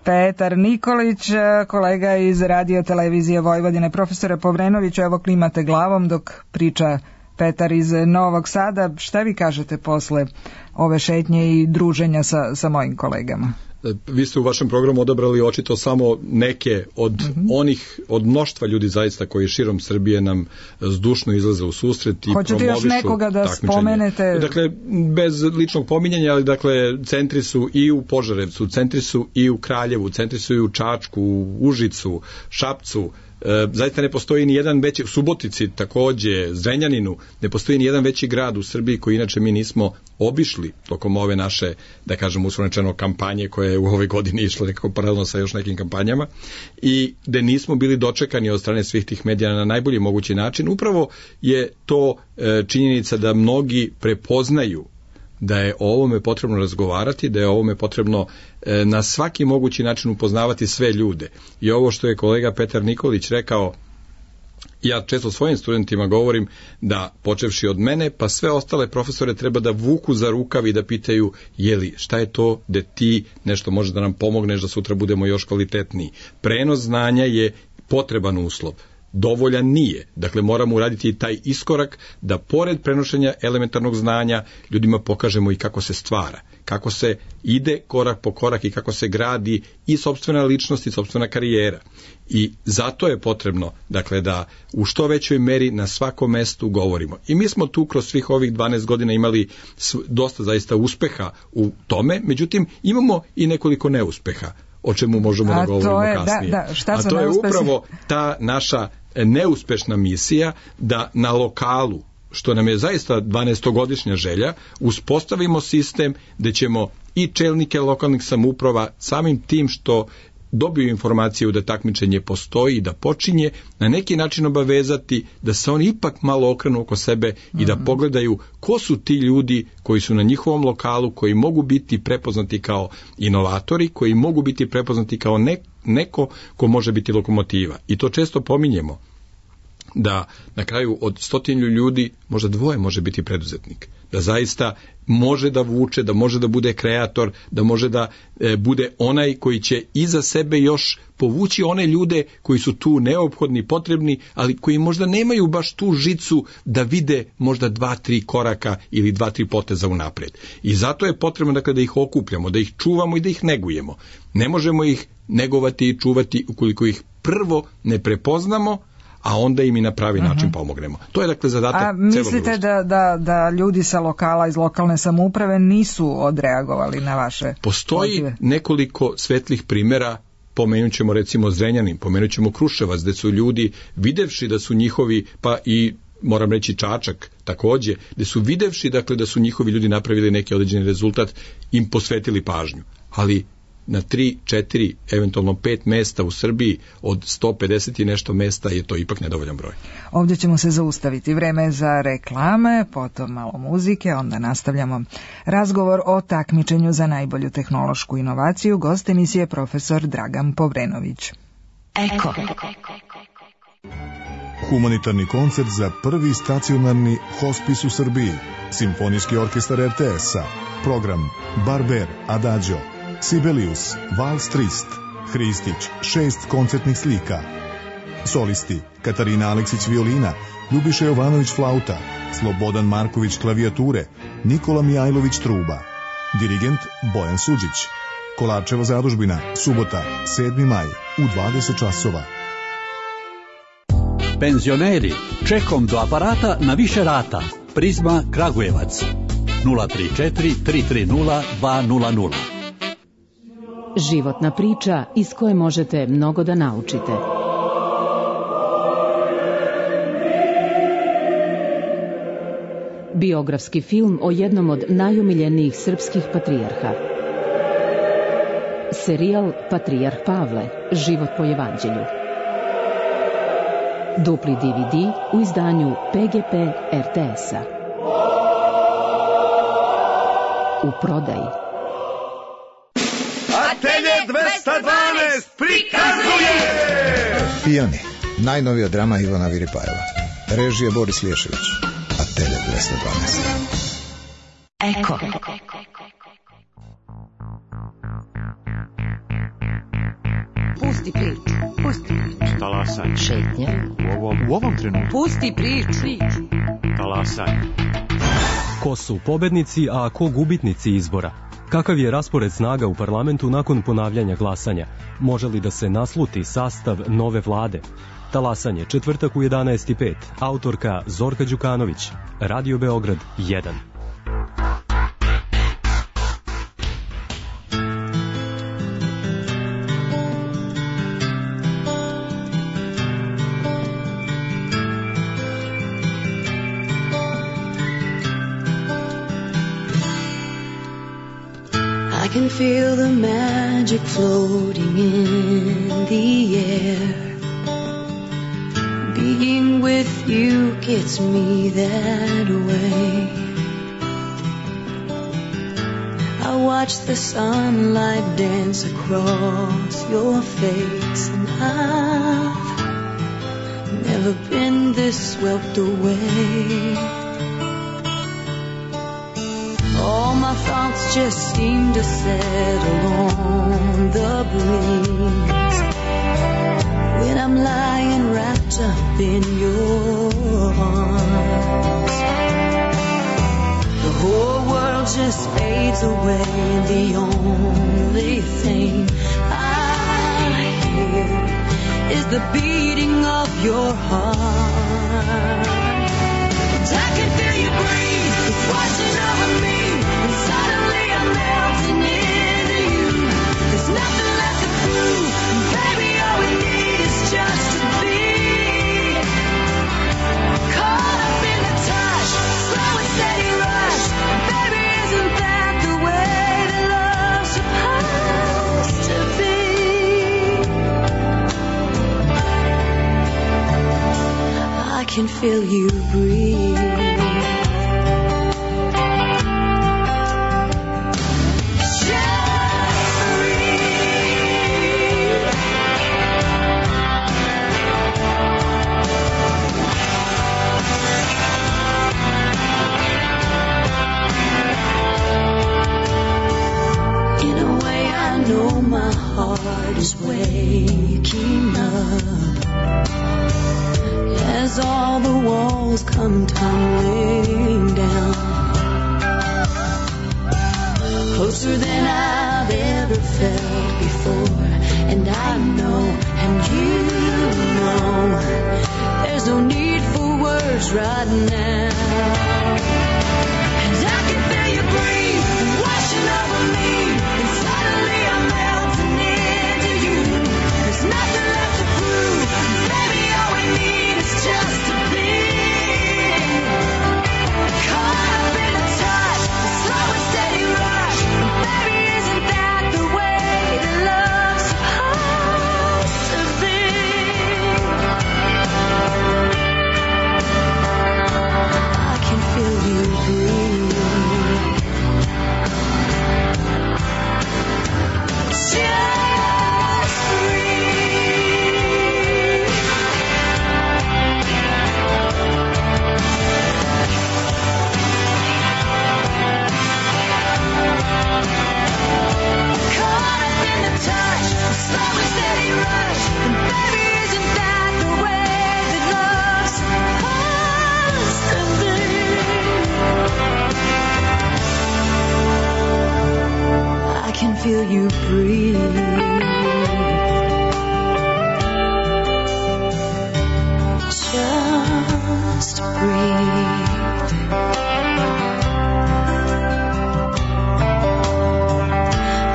Petar Nikolić, kolega iz Radio Televizije Vojvodine. Profesore Povrenoviću, evo klimate glavom dok priča Petar iz Novog Sada. Šta vi kažete posle ove šetnje i druženja sa mojim kolegama? Vi ste u vašem programu odabrali očito samo neke od mnoštva ljudi zaista koji širom Srbije nam zdušno izlaze u susret i promovišu takmičenje. Hoćete još nekoga da spomenete? Dakle, bez ličnog pominjanja, ali dakle, centri su i u Požarevcu, centri su i u Kraljevu, centri su i u Čačku, u Užicu, Šapcu. Zaista ne postoji ni jedan veći, u Subotici takođe, Zrenjaninu, ne postoji ni jedan veći grad u Srbiji koji inače mi nismo obišli tokom ove naše, da kažem, uslovno kampanje koja je u ovoj godini išla nekako paralelno sa još nekim kampanjama i da nismo bili dočekani od strane svih tih medija na najbolji mogući način. Upravo je to činjenica da mnogi prepoznaju da je o ovome potrebno razgovarati, da je o ovome potrebno na svaki mogući način upoznavati sve ljude. I ovo što je kolega Petar Nikolić rekao, ja često svojim studentima govorim da počevši od mene, pa sve ostale profesore treba da vuku za rukav i da pitaju šta je to da ti nešto može da nam pomogneš da sutra budemo još kvalitetniji. Prenos znanja je potreban uslov. Dovoljan nije. Dakle, moramo uraditi i taj iskorak da pored prenošenja elementarnog znanja ljudima pokažemo i kako se stvara, kako se ide korak po korak i kako se gradi i sopstvena ličnost i sopstvena karijera. I zato je potrebno, dakle, da u što većoj meri na svakom mestu govorimo. I mi smo tu kroz svih ovih 12 godina imali dosta zaista uspeha u tome, međutim imamo i nekoliko neuspeha, o čemu možemo da govorimo kasnije. A to je upravo ta naša neuspešna misija da na lokalu, što nam je zaista 12-godišnja želja, uspostavimo sistem gde ćemo i čelnike lokalnih samouprava samim tim što dobiju informaciju da takmičenje postoji i da počinje, na neki način obavezati da se oni ipak malo okrenu oko sebe i da pogledaju ko su ti ljudi koji su na njihovom lokalu, koji mogu biti prepoznati kao inovatori, koji mogu biti prepoznati kao neko ko može biti lokomotiva. I to često pominjemo, da na kraju od 100 ljudi možda 2 može biti preduzetnik, da zaista može da vuče, da može da bude kreator, da može da bude onaj koji će iza sebe još povući one ljude koji su tu neophodni, potrebni, ali koji možda nemaju baš tu žicu da vide možda 2-3 koraka ili 2-3 poteza unapred. I zato je potrebno da ih okupljamo, da ih čuvamo i da ih negujemo. Ne možemo ih negovati i čuvati ukoliko ih prvo ne prepoznamo, a onda im i na pravi način pomognemo. To je dakle zadatak celog društva. A mislite da ljudi sa lokala, iz lokalne samouprave nisu odreagovali na vaše Postoji pozive? Nekoliko svetlih primjera, pomenut ćemo recimo Zrenjanin, pomenut ćemo Kruševac, gde su ljudi videvši da su njihovi, pa i moram reći Čačak takođe, gde su videvši dakle da su njihovi ljudi napravili neki određeni rezultat, im posvetili pažnju. Ali na 3, 4, eventualno 5 mesta u Srbiji od 150 i nešto mesta je to ipak nedovoljan broj. Ovdje ćemo se zaustaviti. Vreme za reklame, potom malo muzike, onda nastavljamo razgovor o takmičenju za najbolju tehnološku inovaciju. Gost emisije profesor Dragan Povrenović. Eko. Humanitarni koncert za prvi stacionarni hospis u Srbiji. Simfonijski orkestar RTS-a. Program Barber, Adagio, Sibelius, Vals Trist, Hristić, 6 koncertnih slika. Solisti Katarina Aleksić violina, Ljubiša Jovanović flauta, Slobodan Marković klavijature, Nikola Mijajlović truba. Dirigent Bojan Suđić. Kolarčeva zadužbina, subota, 7. maj, u 20 časova. Penzioneri, čekom do aparata na više rata. Prizma Kragujevac. 034 330 200. Životna priča iz koje možete mnogo da naučite. Biografski film o jednom od najomiljenijih srpskih patrijarha. Serijal Patrijarh Pavle, život po evanđelju. Dupli DVD u izdanju PGP RTS-a. U prodaji. Atelje 212 prikazuje! Pijani, najnovija drama Ivana Viripajeva. Režija Boris Lješević. Atelje 212. Eko. Pusti priču. Pusti priču. Talasanje. Šetnja. U ovom trenutku. Pusti priču. Talasanje. Ko su pobednici, a ko gubitnici izbora? Kakav je raspored snaga u parlamentu nakon ponavljanja glasanja? Može li da se nasluti sastav nove vlade? Talasanje, četvrtak u 11:05. Autorka Zorka Đukanović. Radio Beograd 1. I can feel the magic floating in the air. Being with you gets me that way. I watch the sunlight dance across your face, and I've never been this swept away. All my thoughts just seem to settle on the breeze when I'm lying wrapped up in your arms. The whole world just fades away, and the only thing I hear is the beating of your heart. And I can feel you breathe, it's washing over me, and suddenly I'm melting into you. There's nothing left to prove, and baby, all we need is just to be caught up in the touch, slow and steady rush. Baby, isn't that the way that love's supposed to be? can feel you breathe. Is waking up as all the walls come tumbling down, closer than I've ever felt before. And I know, and you know, there's no need for words right now. And I can feel you breathe, washing over me, and suddenly I'm melting into you. There's nothing left to prove, baby, all we need is just to be caught up in the touch, the slow and steady rush. Baby, isn't that the way that love's supposed to be? I can feel you breathe. Just breathe. Caught up in the touch, a slow and steady rush. And baby, isn't that the way that love's supposed to be? I can feel you breathe. Just breathe.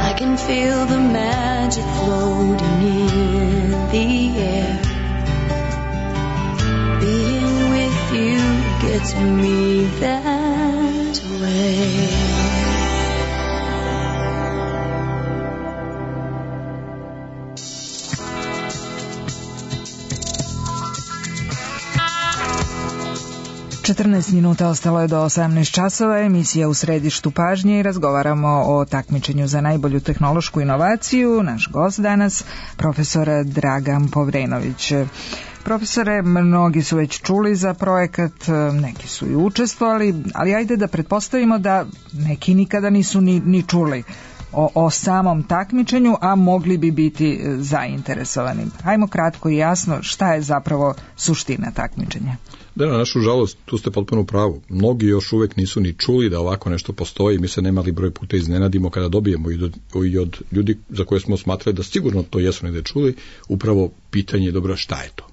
I can feel the magic floating in the air. Being with you gets me that way. Minuta ostalo je do 18 časova, emisija U središtu pažnje i razgovaramo o takmičenju za najbolju tehnološku inovaciju. Naš gost danas, profesor Dragan Povrenović. Profesore, mnogi su već čuli za projekat, neki su i učestvovali, ali ajde da pretpostavimo da neki nikada nisu ni čuli o samom takmičenju, a mogli bi biti zainteresovani. Hajmo kratko i jasno šta je zapravo suština takmičenja. Da, na našu žalost, tu ste potpuno u pravu. Mnogi još uvek nisu ni čuli da ovako nešto postoji. Mi se nemali broj puta iznenadimo kada dobijemo i od ljudi za koje smo smatrali da sigurno to jesu negde čuli, upravo pitanje je dobro šta je to.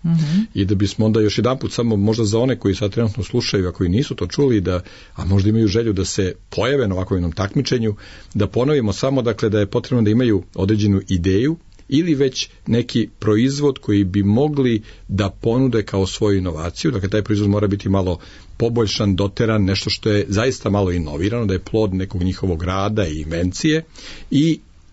I da bismo onda još jedan put, samo možda za one koji sad trenutno slušaju, a koji nisu to čuli, a možda imaju želju da se pojave na ovakvom jednom takmičenju, da ponovimo samo dakle da je potrebno da imaju određenu ideju ili već neki proizvod koji bi mogli da ponude kao svoju inovaciju. Dakle, taj proizvod mora biti malo poboljšan, doteran, nešto što je zaista malo inovirano, da je plod nekog njihovog rada i invencije,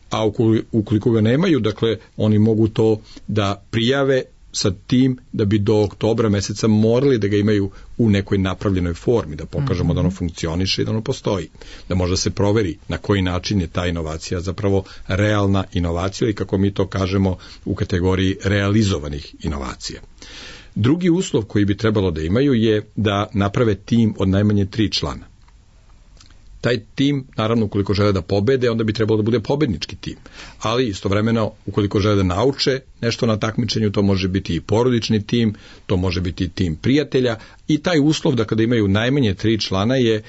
a ukoliko ga nemaju, dakle, oni mogu to da prijave sa tim da bi do oktobra meseca morali da ga imaju u nekoj napravljenoj formi, da pokažemo da ono funkcioniše i da ono postoji. Da možda se proveri na koji način je ta inovacija zapravo realna inovacija i kako mi to kažemo u kategoriji realizovanih inovacija. Drugi uslov koji bi trebalo da imaju je da naprave tim od najmanje 3 člana. Taj tim, naravno, ukoliko žele da pobede, onda bi trebalo da bude pobednički tim. Ali istovremeno, ukoliko žele da nauče nešto na takmičenju, to može biti i porodični tim, to može biti tim prijatelja i taj uslov da kada imaju najmanje 3 člana je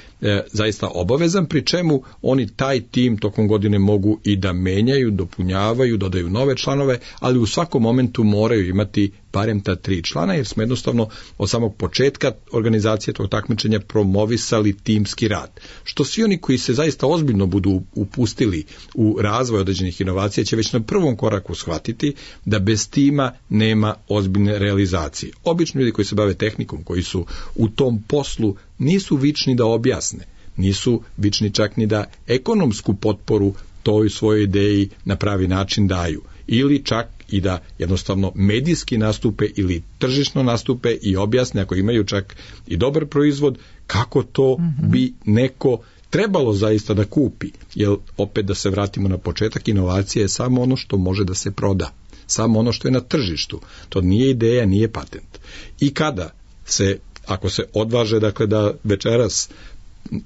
zaista obavezan, pri čemu oni taj tim tokom godine mogu i da menjaju, dopunjavaju, dodaju nove članove, ali u svakom momentu moraju imati barem ta 3 člana, jer smo jednostavno od samog početka organizacije tog takmičenja promovisali timski rad. Što svi oni koji se zaista ozbiljno budu upustili u razvoj određenih inovacija će već na prvom koraku shvatiti da bez tima nema ozbiljne realizacije. Obično ljudi koji se bave tehnikom, koji su u tom poslu, nisu vični da objasne, nisu vični čak ni da ekonomsku potporu toj svojoj ideji na pravi način daju. Ili čak i da jednostavno medijski nastupe ili tržišno nastupe i objasne, ako imaju čak i dobar proizvod, kako to bi neko trebalo zaista da kupi. Jer opet da se vratimo na početak, inovacija je samo ono što može da se proda. Samo ono što je na tržištu. To nije ideja, nije patent. I kada se, ako se odvaže, dakle, da večeras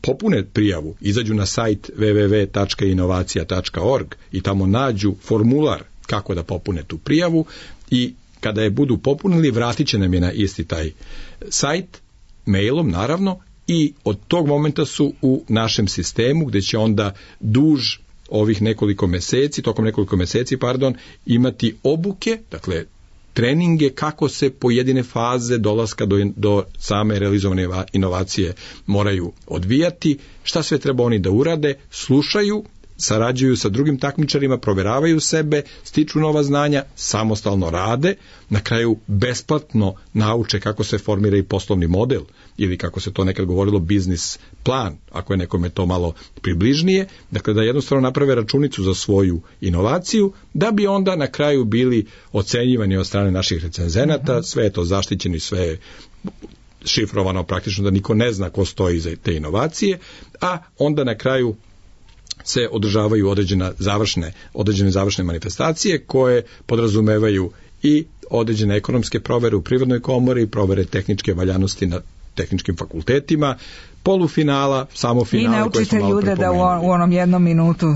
popune prijavu, izađu na sajt www.inovacija.org i tamo nađu formular kako da popune tu prijavu i kada je budu popunili, vratit će nam je na isti taj sajt, mailom naravno, i od tog momenta su u našem sistemu gdje će onda tokom nekoliko meseci, imati obuke, dakle treninge kako se pojedine faze dolaska do same realizovane inovacije moraju odvijati, šta sve treba oni da urade, slušaju, sarađuju sa drugim takmičarima, proveravaju sebe, stiču nova znanja, samostalno rade, na kraju besplatno nauče kako se formira i poslovni model ili kako se to nekad govorilo biznis plan, ako je nekome to malo približnije, dakle da jednostavno naprave računicu za svoju inovaciju, da bi onda na kraju bili ocenjivani od strane naših recenzenata, sve je to zaštićeno, sve je šifrovano praktično da niko ne zna ko stoji iza te inovacije, a onda na kraju se održavaju određene završne manifestacije koje podrazumevaju i određene ekonomske provere u Privrednoj komori, provere tehničke valjanosti na tehničkim fakultetima, polufinala, samofinala. I naučite ljude da u onom jednom minutu.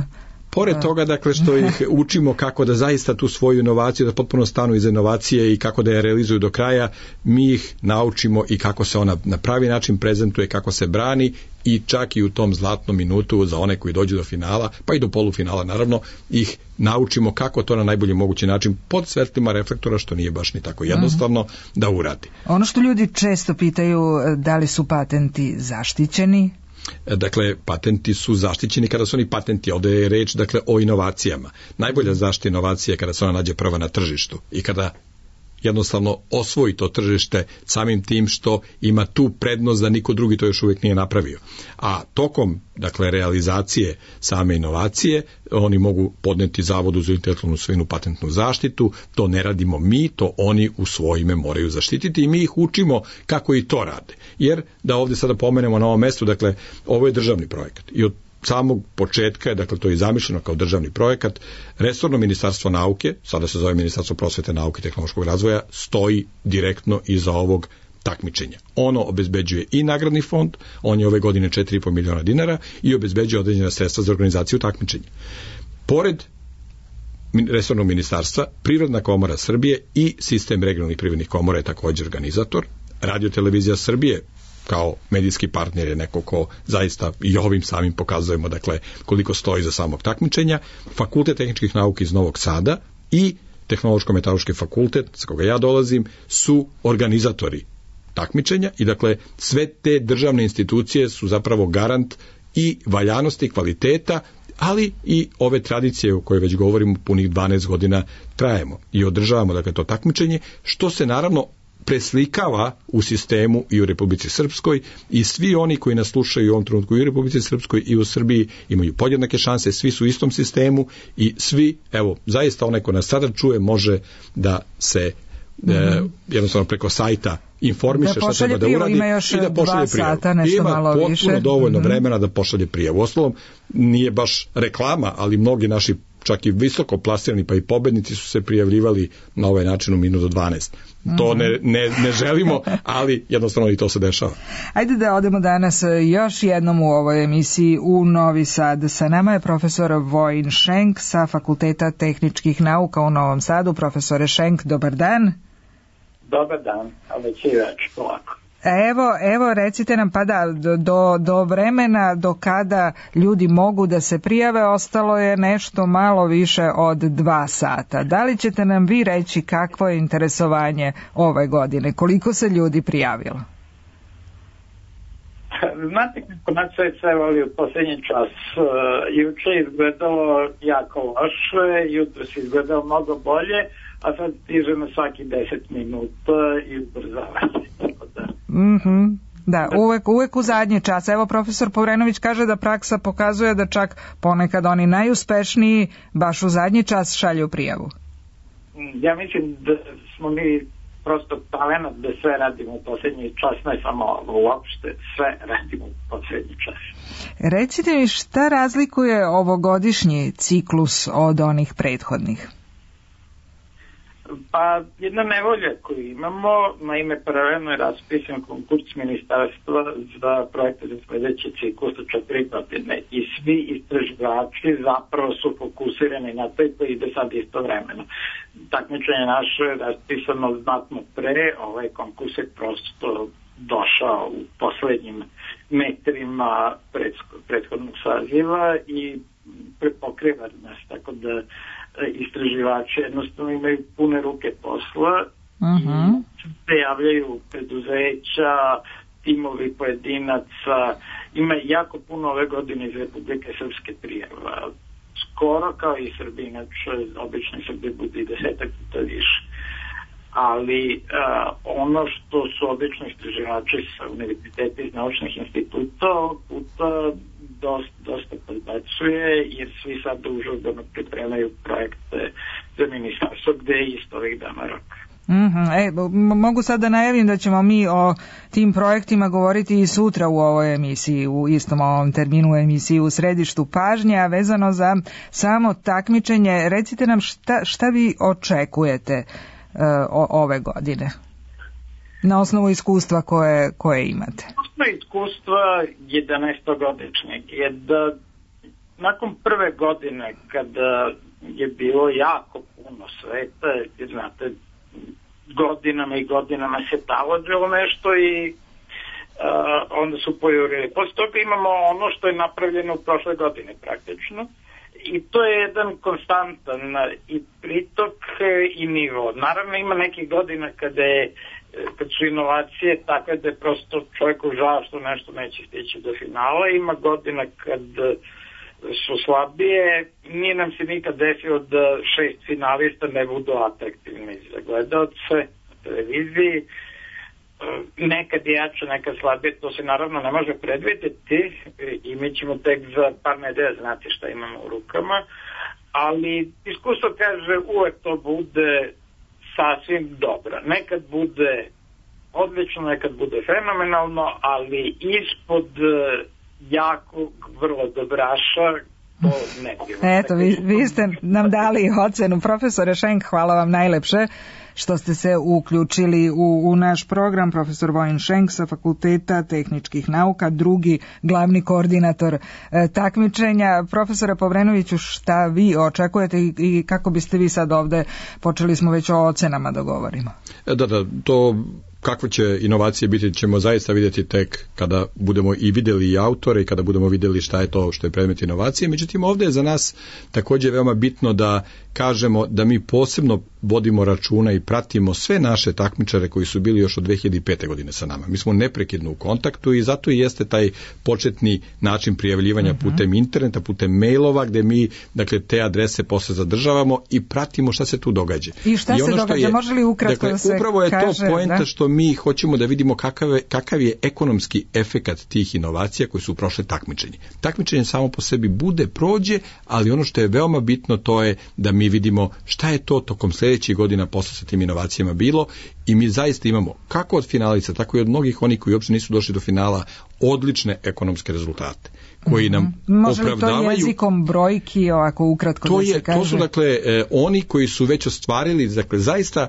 Pored toga, dakle, što ih učimo kako da zaista tu svoju inovaciju, da potpuno stanu iza inovacije i kako da je realizuju do kraja, mi ih naučimo i kako se ona na pravi način prezentuje, kako se brani i čak i u tom zlatnom minutu za one koji dođu do finala, pa i do polufinala naravno, ih naučimo kako to na najbolji mogući način pod svetlima reflektora, što nije baš ni tako jednostavno da uradi. Ono što ljudi često pitaju, da li su patenti zaštićeni? Dakle, patenti su zaštićeni kada su oni patenti, ovdje je reč, dakle, o inovacijama. Najbolja zaštita inovacije je kada se ona nađe prva na tržištu i kada jednostavno osvoji to tržište samim tim što ima tu prednost da niko drugi to još uvijek nije napravio. A tokom, dakle, realizacije same inovacije, oni mogu podneti Zavodu za intelektualnu svojinu patentnu zaštitu, to ne radimo mi, to oni u svoje ime moraju zaštititi i mi ih učimo kako i to rade. Jer, da ovdje sada pomenemo na ovom mjestu, dakle, ovo je državni projekat i od samog početka je, dakle, to je zamišljeno kao državni projekat, resorno ministarstvo nauke, sada se zove Ministarstvo prosvete, nauke i tehnološkog razvoja, stoji direktno iza ovog takmičenja. Ono obezbeđuje i nagradni fond, on je ove godine 4,5 miliona dinara i obezbeđuje određena sredstva za organizaciju takmičenja. Pored resornog ministarstva, Privredna komora Srbije i sistem regionalnih privrednih komora je također organizator. Radio-televizija Srbije kao medijski partner je neko ko zaista i ovim samim pokazujemo, dakle, koliko stoji za samog takmičenja. Fakultet tehničkih nauka iz Novog Sada i Tehnološko-metaloški fakultet, sa koga ja dolazim, su organizatori takmičenja i, dakle, sve te državne institucije su zapravo garant i valjanosti, kvaliteta, ali i ove tradicije o kojoj već govorimo punih 12 godina trajemo i održavamo, dakle, to takmičenje, što se naravno preslikava u sistemu i u Republici Srpskoj i svi oni koji nas slušaju u ovom trenutku i u Republici Srpskoj i u Srbiji imaju podjednake šanse, svi su u istom sistemu i svi, evo, zaista onaj ko nas sada čuje može da se jednostavno preko sajta informiše šta treba da uradi i da pošalje prijavu. Ima potpuno dovoljno vremena da pošalje prijavu. Uostalom, nije baš reklama, ali mnogi naši čak i visoko plasirani pa i pobednici su se prijavljivali na ovaj način u minut do 12. To ne želimo, ali jednostavno i to se dešava. Ajde da odemo danas još jednom u ovoj emisiji u Novi Sad. Sa nama je profesor Vojin Šenk sa Fakulteta tehničkih nauka u Novom Sadu. Profesore Šenk, dobar dan. Dobar dan, a već i već polako. Evo, recite nam, pa da, do vremena do kada ljudi mogu da se prijave, ostalo je nešto malo više od 2 sata. Da li ćete nam vi reći kakvo je interesovanje ove godine? Koliko se ljudi prijavilo? Znate kako nas sve voli u posljednji čas. Juče izgledalo jako loše, jutro se izgledalo mnogo bolje, a sad stižemo svaki 10 minuta i ubrzavanje. Da, uvek u zadnji čas. Evo, profesor Povrenović kaže da praksa pokazuje da čak ponekad oni najuspešniji baš u zadnji čas šalju prijavu. ja mislim da smo mi prosto talent da sve radimo u posljednji čas, ne samo uopšte, sve radimo u posljednji čas. Recite mi šta razlikuje ovogodišnji ciklus od onih prethodnih? Pa jedna nevolja koju imamo, naime paralelno je raspisan konkurs ministarstva za projekte za sledeći ciklus od 4 godine i svi istraživači zapravo su fokusirani na to i to ide sad istovremeno. Takmičenje naše je raspisano znatno pre, ovaj konkurs je prosto došao u poslednjim metrima prethodnog saziva i prepokriva nas, tako da istraživači jednostavno imaju pune ruke posla i se javljaju preduzeća, timovi pojedinaca, ima jako puno ove godine iz Republike Srpske prijava, skoro kao i Srbi, inače obično Srbi bude i 10 puta više. Ali ono što su obično istraživači sa univerziteta iz naučnih instituta ovog puta dosta podbacuje, jer svi sad užurbano pripremaju projekte za ministarstvo gde je isto ovih dana rok. Mogu sad da najavim da ćemo mi o tim projektima govoriti i sutra u ovoj emisiji, u istom ovom terminu emisiji u središtu pažnje, a vezano za samo takmičenje. Recite nam šta vi očekujete ove godine na osnovu iskustva koje imate? Iskustva 11-godišnjeg je da nakon prve godine kada je bilo jako puno sveta, jer znate, godinama i godinama se talođilo nešto i onda su pojurili. Posle toga imamo ono što je napravljeno u prošle godine praktično i to je jedan konstantan i pritok i nivo. Naravno ima nekih godina kad su inovacije takve da je prosto čovjeku žao što nešto neće stići do finala. Ima godina kad su slabije. Nije nam se nikad desilo da 6 finalista ne budu atraktivni za gledalce na televiziji. Nekad je jače, nekad slabije, to se naravno ne može predvidjeti i mi ćemo tek za par nedelja znati šta imamo u rukama, ali iskustvo kaže uvek to bude sasvim dobro. Nekad bude odlično, nekad bude fenomenalno, ali ispod jakog, vrlo dobraša to ne bilo. Eto, vi ste nam dali ocenu. Profesore Šenk, hvala vam najlepše što ste se uključili u naš program. Profesor Vojin Šenk sa Fakulteta tehničkih nauka, drugi glavni koordinator takmičenja. Profesore Povrenoviću, šta vi očekujete i kako biste vi sad ovde, počeli smo već o ocenama da govorimo? Da, to kakve će inovacije biti ćemo zaista vidjeti tek kada budemo i vidjeli i autore i kada budemo vidjeli šta je to što je predmet inovacije. Međutim, ovdje je za nas također veoma bitno da kažemo da mi posebno vodimo računa i pratimo sve naše takmičare koji su bili još od 2005. godine sa nama. Mi smo neprekidno u kontaktu i zato i jeste taj početni način prijavljivanja putem interneta, putem mailova, gdje mi dakle te adrese posle zadržavamo i pratimo šta se tu događa. I šta se događa? Može li ukratko da se kaže? Upravo je to poenta što mi hoćemo da vidimo kakav je ekonomski efekat tih inovacija koji su prošle takmičenje. Takmičenje samo po sebi prođe, ali ono što je veoma bitno to je da mi vidimo šta je to tokom sljedećih godina posle sa tim inovacijama bilo i mi zaista imamo kako od finalica, tako i od mnogih onih koji uopće nisu došli do finala odlične ekonomske rezultate koji nam opravdavaju. Može li to jezikom brojki ovako ukratko da se kaže? To su dakle oni koji su već ostvarili dakle zaista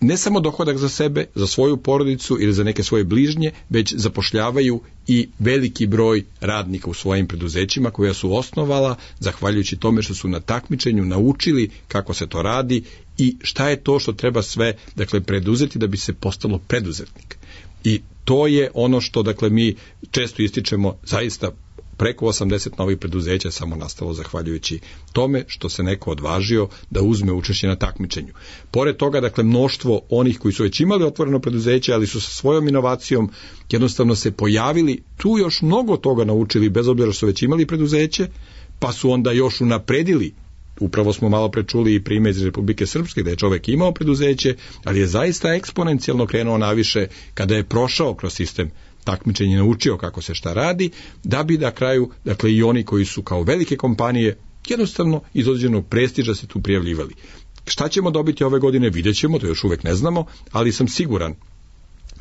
ne samo dohodak za sebe, za svoju porodicu ili za neke svoje bližnje, već zapošljavaju i veliki broj radnika u svojim preduzećima koja su osnovala zahvaljujući tome što su na takmičenju naučili kako se to radi i šta je to što treba sve dakle preduzeti da bi se postalo preduzetnik. I to je ono što dakle mi često ističemo, zaista preko 80 novih preduzeća samo nastalo zahvaljujući tome što se neko odvažio da uzme učešće na takmičenju. Pored toga, dakle, mnoštvo onih koji su već imali otvoreno preduzeće, ali su sa svojom inovacijom jednostavno se pojavili, tu još mnogo toga naučili, bez obzira što su već imali preduzeće, pa su onda još unapredili. Upravo smo malo prečuli i primjer iz Republike Srpske da je čovjek imao preduzeće, ali je zaista eksponencijalno krenuo naviše kada je prošao kroz sistem takmičenje, naučio kako se šta radi, da bi na kraju, dakle i oni koji su kao velike kompanije jednostavno iz određenog prestiža se tu prijavljivali. Šta ćemo dobiti ove godine, vidjet ćemo, to još uvek ne znamo, ali sam siguran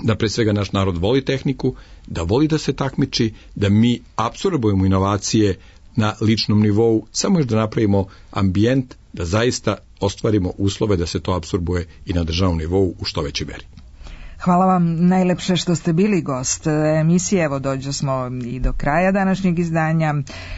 da pre svega naš narod voli tehniku, da voli da se takmiči, da mi apsorbujemo inovacije na ličnom nivou, samo još da napravimo ambijent, da zaista ostvarimo uslove da se to apsorbuje i na državnom nivou u što većoj meri. Hvala vam najlepše što ste bili gost emisije. Evo, dođe smo i do kraja današnjeg izdanja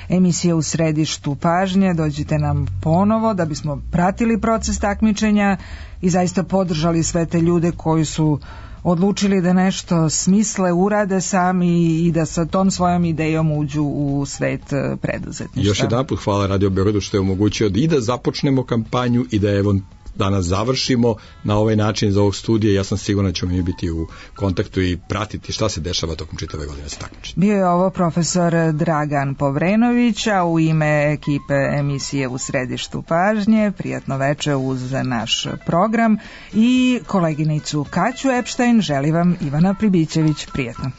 emisije U središtu pažnje. Dođite nam ponovo da bismo pratili proces takmičenja i zaista podržali sve te ljude koji su odlučili da nešto smisle, urade sami i da sa tom svojom idejom uđu u svet preduzetništva. Još jedanput hvala Radio Beogradu što je omogućio i da započnemo kampanju i da evo danas završimo na ovaj način za ovog studija. Ja sam siguran da ćemo mi biti u kontaktu i pratiti šta se dešava tokom čitave godine sa takmičenjem. Bio je ovo profesor Dragan Povrenović, a u ime ekipe emisije U središtu pažnje, prijatno veče uz naš program i koleginicu Kaću Epštajn, želi vam Ivana Pribićević. Prijatno.